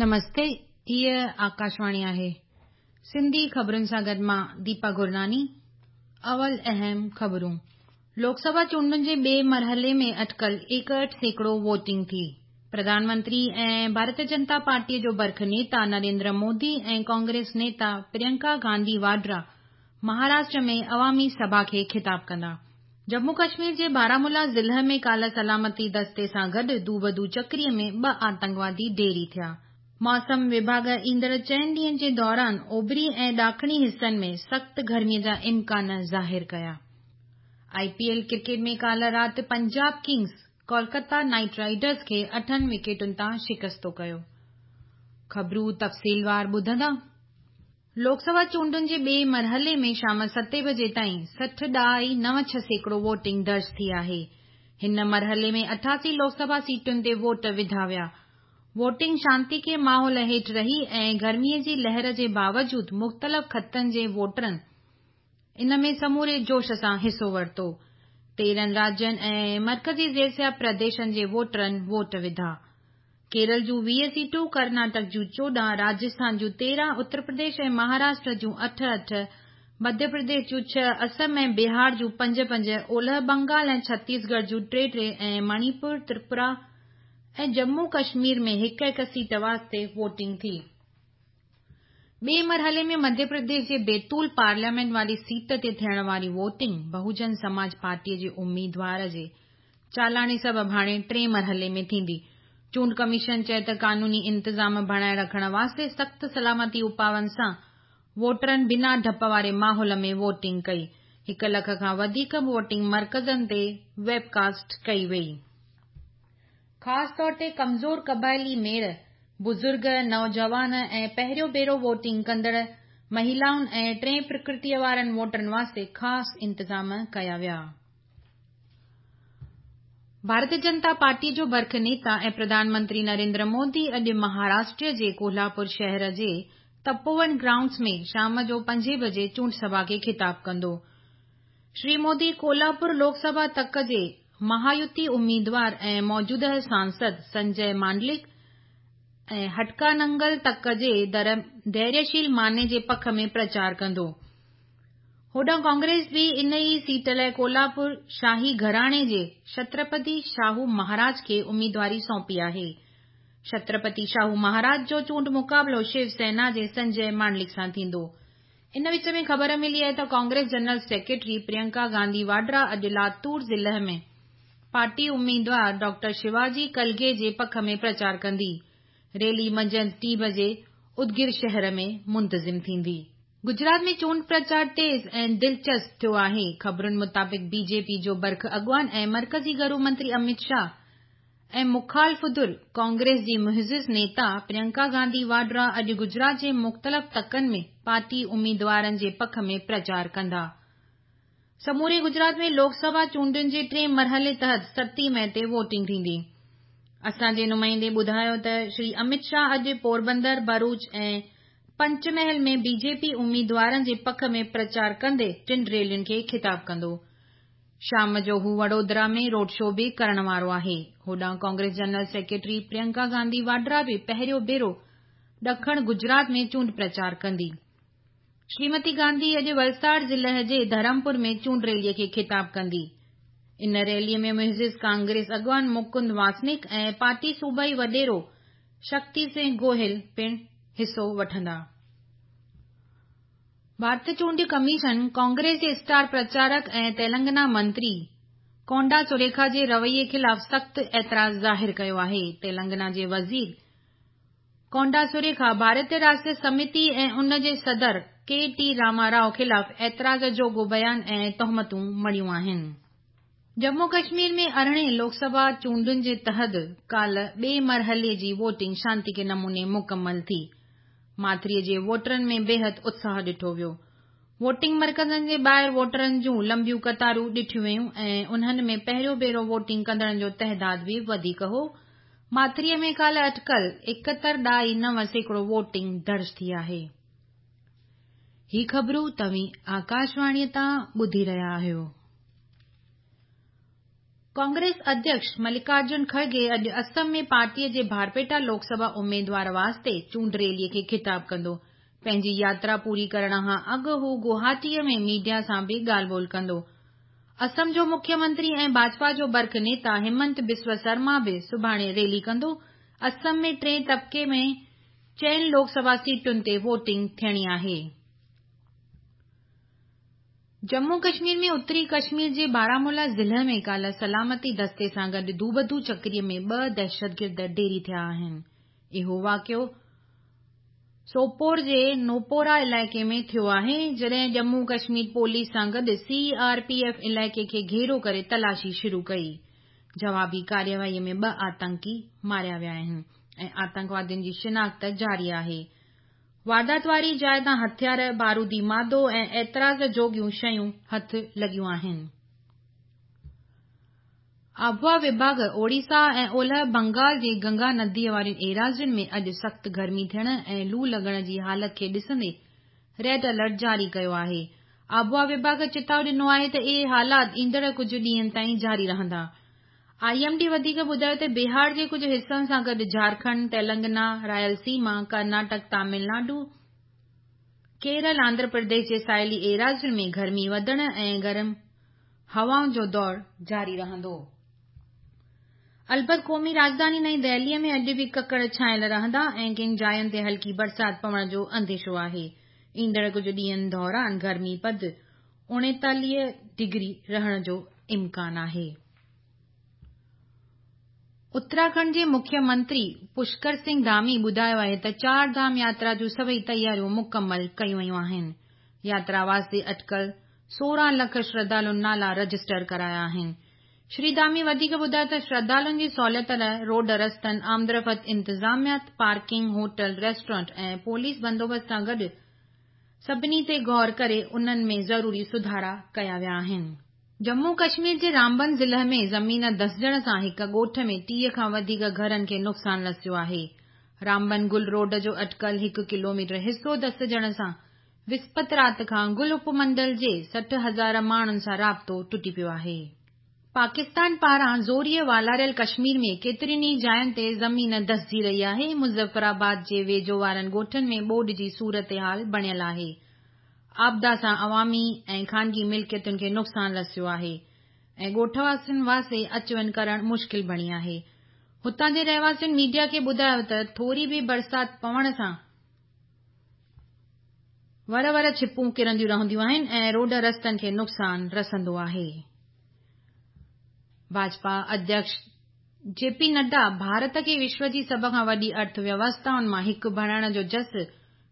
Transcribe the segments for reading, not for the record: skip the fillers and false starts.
نمستي، هيء آڪاشواڻي آهي. سنڌي خبرن سان گڏ مان ديپا گرناني. اول اهم خبرون. لوڪ سڀا چونڊن جي ٻئي مرحلي ۾ اٽڪل 61% ووٽنگ ٿي. پرڌان منتري ۽ ڀارتيه جنتا پارٽيء جو برک نيتا نريندر مودي ۽ ڪانگريس نيتا پريانڪا گانڌي واڊرا مهاراشٽر ۾ عوامي سڀا کي خطاب ڪندا. ڄمون ڪشمير جي بارامولا ضلع ۾ ڪالهه سلامتي دستي سان گڏ دوبدو چڪري ۾ ٻه آتنڪوادي ڍيري ٿيا. موسم وڀاڳ ايندڙ چئن ڏينهن جي دوران اوڀري ۽ ڏاکڻي حصن ۾ سخت گرمي جا امڪان ظاهر ڪيا. آء پي ايل ڪرڪيٽ ۾ ڪالهه رات Punjab Kings Kolkata Knight Riders کي اٺن وڪيٽن تان شڪستو ڪيو. خبرون تفصيلوار ٻڌندا. لوڪ سڀا چونڊن جي ٻئي مرحلي ۾ شام ستين بجي تائين 60 ڏهائي 96% ووٽنگ درج ٿي آهي. هن مرحلي ۾ 88 لوڪ سڀا سيٽن تي ووٽ وڌا ويا. ووٽنگ شانتيڪي ماحول هيٺ رهي ۽ گرمي جي لهر جي باوجود مختلف خطن جي ووٽرن ان ۾ سموري جوش سان حصو ورتو. 13 راجين ۽ مرڪزي زيرسيا پرديشن جي ووٽرن ووٽ وڌا. ڪيرل جون 20 سيٽون، ڪرناٽڪ جون 14، راجسٿان جون 13، اتر پرديش ۽ مهاراشٽر جون اٺ اٺ، مڌيه پرديش جون ڇهه، اسم ۽ بهار جون پنج پنج، اولهه بنگال ۽ ڇتيسڳڙهه جون ٽي ٽي ۽ مڻيپور، تريپورا ۽ ڄمون ڪشمير ۾ هڪ هڪ سيٽ واسطي ووٽنگ ٿي. ٻئي مرحلي ۾ مڌيه پرديش جي بيتول پارليامينٽ واري سيٽ تي ٿيڻ واري ووٽنگ بهوجن سماج پارٽي جي اميدوار جي چالاڻي سبب هاڻي ٽئين مرحلي ۾ ٿيندي. چونڊ ڪميشن چيو ته قانوني انتظام بڻائي رکڻ واسطي سخت سلامتي اپائن سان ووٽرن بنا ڊپ واري ماحول ۾ ووٽنگ ڪئي. هڪ لک کان وڌيڪ ووٽنگ مرڪزن تي ويب ڪاسٽ ڪئي وئي. خاص طور تي ڪمزور قبائلي ميڙ، بزرگ، نوجوان ۽ پهريون ڀيرو ووٽنگ ڪندڙ مهلائن ۽ ٽئين پرڪرتيء وارن ووٽرن واسطي خاص انتظام ڪيا ويا. ڀارتيه جنتا پارٽيء جو برک نيتا ۽ پرڌان منتري نريندر مودي اڄ مهاراشٽر جي ڪولهاپور شهر جي تپوون گرائونڊز ۾ شام جو پنجين بجي چونڊ سڀا کي خطاب ڪندو. شري مودي ڪولهاپور لوڪ سڀا تڪ جي مهايوتي اميدوار ۽ موجوده سانسد سنجي مانڊلڪ ۽ هٽڪاننگل تڪ جي ڌيريشيل ماني جي پک ۾ پرچار ڪندو. هوڏانهن ڪانگريس به ان ئي سيٽ لاء ڪولهاپور شاهي گهراڻي جي ڇترپتي شاهو مهاراج کي اميدواري سونپي آهي. ڇترپتي شاهو مهاراج جو چونڊ مقابلو شو سينا جي سنجي مانڊلڪ سان ٿيندو. ان وچ ۾ خبر ملي آهي ته ڪانگريس جنرل سيڪريٽري پريانڪا گانڌي واڊرا اڄ لاتور ضلع ۾ پارٽي اميدوار ڊاڪٽر شيواجي ڪلگي جي پک ۾ پرچار ڪندي. ريلي منجهند ٽين بجي ادگير شهر ۾ منتظم ٿيندي. گجرات ۾ چونڊ پرچار تيز ۽ دلچسپ ٿيو آهي. خبرن مطابق بي جي پي جو برک اڳواڻ ۽ مرڪزي گهرو منتري اميت شاهه ۽ مخالف ڌر ڪانگريس جي معزز نيتا پريانڪا گانڌي واڊرا اڄ گجرات جي مختلف تڪن ۾ پارٽي اميدوارن جي پک ۾ پرچار ڪندا. سموري گجرات ۾ لوڪ سڀا چونڊن جي ٽئين مرحلي تحت ستين مئي تي ووٽنگ ٿيندي. اسان جي نمائندي ٻڌايو ته شري اميت شاهه اڄ پوربندر، ڀروچ ۽ پنچمحل ۾ بي جي پي اميدوارن جي پک ۾ پرچار ڪندي ٽن ريلين کي خطاب ڪندو. شام جو هو وڊودرا ۾ روڊ شو به ڪرڻ وارو آهي. هوڏانهن ڪانگريس جنرل سيڪريٽري پريانڪا گانڌي واڊرا به پهريون ڀيرو ڏکڻ گجرات ۾ چونڊ پرچار ڪندي. شريمتي گانڌي اڄ ولساڙ ضلع جي ڌرمپور ۾ چونڊ ريلي کي خطاب ڪندي. ان ريلي ۾ معزز ڪانگريس اڳواڻ مڪند واسنڪ ۽ پارٽي صوبائي وڏيرو شڪتي سنگهه گوهل پڻ حصو وٺندا. ڀارتي چونڊ ڪميشن ڪانگريس جي اسٽار پرچارڪ ۽ تيلنگنا منتري ڪونڊا سريکا جي رويي خلاف سخت اعتراض ظاهر ڪيو آهي. تيلنگنا جي وزير ڪونڊا سريکا ڀارتي راشٽر سمتي ۽ ان جي صدر ڪي ٽي راما رائو خلاف اعتراض جوڳو بيان ۽ تهمتون مڙهيون آهن. ڄمون ڪشمير ۾ ارڙهين لوڪ سڀا چونڊن جي تحت ڪالهه ٻئي مرحلي جي ووٽنگ شانتيڪي نموني مڪمل ٿي. ماٿريء جي ووٽرن ۾ بيحد اتساهه ڏٺو ويو. ووٽنگ مرڪزن جي ٻاهر ووٽرن جون لنبيون قطارون ڏٺيون ويون ۽ انهن ۾ پهريون ڀيرو ووٽنگ ڪندڙن جو تعداد به وڌيڪ هو. ماٿريء ۾ ڪالهه اٽڪل 71.9% ووٽنگ درج ٿي آهي. هي خبرون توهين آڪاشواڻيء تان ٻڌي رهيا آهيو. ڪانگريس اڌيڪش ملڪارجن کرگي اڄ اسم ۾ پارٽيء جي بارپيٽا لوڪ سڀا اميدوار واسطي چونڊ ريليء کي خطاب ڪندو. پنهنجي ياترا پوري ڪرڻ کان اڳ هو گوهاٽيء ۾ ميڊيا سان به ڳالهه ٻولهه ڪندو. اسم جو مکيه منتري ۽ ڀاجپا جو برک نيتا همنت بسوا سرما به سڀاڻي ريلي ڪندو. اسم ۾ ٽئين طبقي ۾ چئن لوڪ سڀا سيٽن تي ووٽنگ ٿيڻي آهي. ڄمون ڪشمير ۾ اتري ڪشمير جي بارامولا ضلعي ۾ ڪالهه سلامتي دستي سان گڏ دوبدو چڪري ۾ ٻه دهشتگرد ڍيري ٿيا آهن. اهو واقعو سوپور جي نوپورا علائقي ۾ ٿيو آهي، جڏهن ڄمون ڪشمير پوليس سان گڏ سي آر پي ايف علائقي کي گهيرو ڪري تلاشي شروع ڪئي. جوابي ڪارروائي ۾ ٻه آتنڪي ماريا ويا آهن ۽ آتنڪوادين جي شناخت جاري آهي. واردات واري جاءِ تان هٿيار، بارودي مادو ۽ اعتراض جوڳيون شيون هٿ لڳيون آهن. آبهوا وڀاڳ اوڙيسا ۽ اولهه بنگال جي گنگا نديء وارين ايراضين ۾ اڄ سخت گرمي ٿيڻ ۽ لو لڳڻ جي حالت کي ڏسندي ريڊ الرٽ جاري ڪيو آهي. آبهوا وڀاڳ چتاءُ ڏنو آهي ته اهي حالات ايندڙ ڪجهه ڏينهن تائين جاري رهندا. I M D وڌيڪ ٻڌايو ته بهار جي ڪجهه حصن سان گڏ جهارکنڊ، تيلنگنا، رائل سيما، ڪرناٽڪ، تامل ناڊو، ڪيرل، آنڌرا پرديش جي ساحلي ايراضين ۾ گرمي وڌڻ ۽ گرم هوائن جو دور جاري رهندو. البت قومي راڄڌاني نئين دهليء ۾ اڄ به ڪڪر ڇانيل رهندا ۽ ڪن جاين تي هلڪي برسات پوڻ جو انديشو آهي. ايندڙ ڪجهه ڏينهن دوران گرمي پد 39 ڊگري رهڻ جو امڪان آهي. اتراکنڊ جي مکيه منتري پشڪر سنگهه ڌامي ٻڌايو آهي ته چار ڌام ياترا جون سڀئي تياريون مڪمل ڪيون ويون آهن. ياترا واسطي اٽڪل 16 لک شرڌالن نالا رجسٽر ڪرايا آهن. شري ڌامي وڌيڪ ٻڌايو ته شرڌالن جي سهوليت لاء روڊ رستن، آمدرفت انتظاميات، پارڪنگ، هوٽل، ريسٽورنٽ ۽ پوليس بندوبست سان گڏ سڀني تي غور ڪري انهن ۾ ضروري سڌارا ڪيا ويا آهن. ڄمون ڪشمير جي رامبن ضلعي ۾ زمين ڌسجڻ سان هڪ ڳوٺ ۾ 30 کان وڌيڪ گهرن کي نقصان رسيو آهي. رامبن گل روڊ جو اٽڪل هڪ ڪلوميٽر حصو ڌسجڻ سان وسپت رات کان گل اپمنڊل جي 60,000 ماڻهن سان رابطو ٽٽي پيو آهي. پاڪستان پاران زوريء والاريل ڪشمير ۾ ڪيترين ئي جاين تي زمين ڌسجي رهي آهي. مظفرآباد جي ويجهو وارن ڳوٺن ۾ ٻوڏ جي صورتحال بڻيل آهي. آپدا سان عوامي ۽ خانگي ملڪيتن کي نقصان رسيو آهي ۽ ڳوٺ واسين واسطي اچ وڃ ڪرڻ مشڪل بڻي آهي. هتان جي رهواسين ميڊيا کي ٻڌايو ته ٿوري به برسات پوڻ سان ور ور ڇپون ڪرنديون رهنديون آهن ۽ روڊ رستن کي نقصان رسندو آهي. ڀاجپا اڌيڪش جي پي نڊا ڀارت کي وشو جي سڀ کان وڏي ارٿ ويوسٿائن مان هڪ بڻائڻ جو جس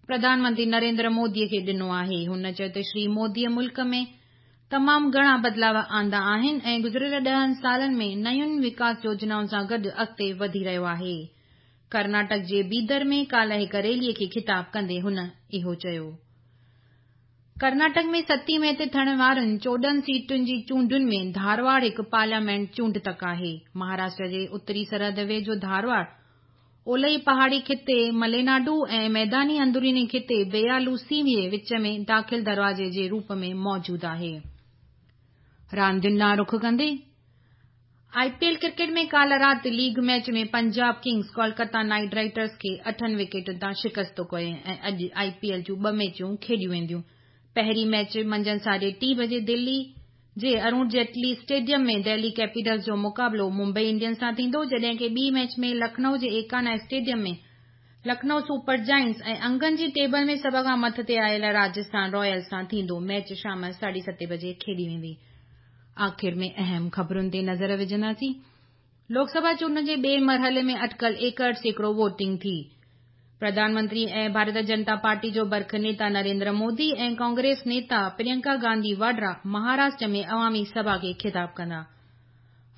پرڌان منتري نريندر مودي کي ڏنو آهي. هن چيو ته شري مودي ملڪ ۾ تمام گهڻا بدلاء آندا آهن ۽ گذريل 10 سالن ۾ نين وڪاس يوجنائن سان گڏ اڳتي وڌي رهيو آهي. ڪرناٽڪ جي بيدر ۾ ڪالهه هڪ ريلي کي خطاب ڪندي هن اهو چيو. ڪرناٽڪ ۾ 7 مئي تي ٿيڻ وارين 14 سيٽن جي چونڊن ۾ ڌارواڙ هڪ پارليامينٽ چونڊ تڪ آهي. مهاراشٽر جي اتري سرحد ويجهو ڌارواڙ اولهي پهاڙي خطي مليناڊو ۽ ميداني اندروني خطي بيالوسيم جي وچ ۾ داخل دروازي جي روپ ۾ موجود آهي. راندين ڏانهن رخ ڪندي آء پي ايل ڪرڪيٽ ۾ ڪالهه رات league match ۾ Punjab Kings Kolkata Knight Riders کي 8 وڪيٽن تان شڪست ڪئي ۽ اڄ آء پي ايل جون ٻه ميچون کيڏيون وينديون. پهرين ميچ منجهند 3:30 بجي دلي جي ارون جيٽلي اسٽيڊيم ۾ دهلي ڪيپيٽلز جو مقابلو ممبئي انڊينز سان ٿيندو، جڏهن ڪه ٻي ميچ ۾ لکنؤ جي ايڪانا اسٽيڊيم ۾ لکنؤ سپر جائنٽس ۽ انگن جي ٽيبل ۾ سڀ کان مٿي آيل راجسٿان رائلز سان ٿيندو. ميچ شام 7:30 بجي کيڏي ويندي. آخر ۾ اهم خبرن تي نظر وجهنداسين. لوڪ سڀا چونڊن جي ٻئي مرحلي ۾ اٽڪل 61% ووٽنگ ٿي. پرڌان منتري ۽ ڀارتيه جنتا پارٽي جو برک نيتا نريندر مودي ۽ ڪانگريس نيتا پريانڪا گانڌي واڊرا مهاراشٽر ۾ عوامي سڀا کي خطاب ڪندا.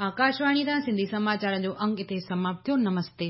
آڪاشواڻي تان سنڌي سماچارن جو انگ اتي سماپت ٿيو. نمستي.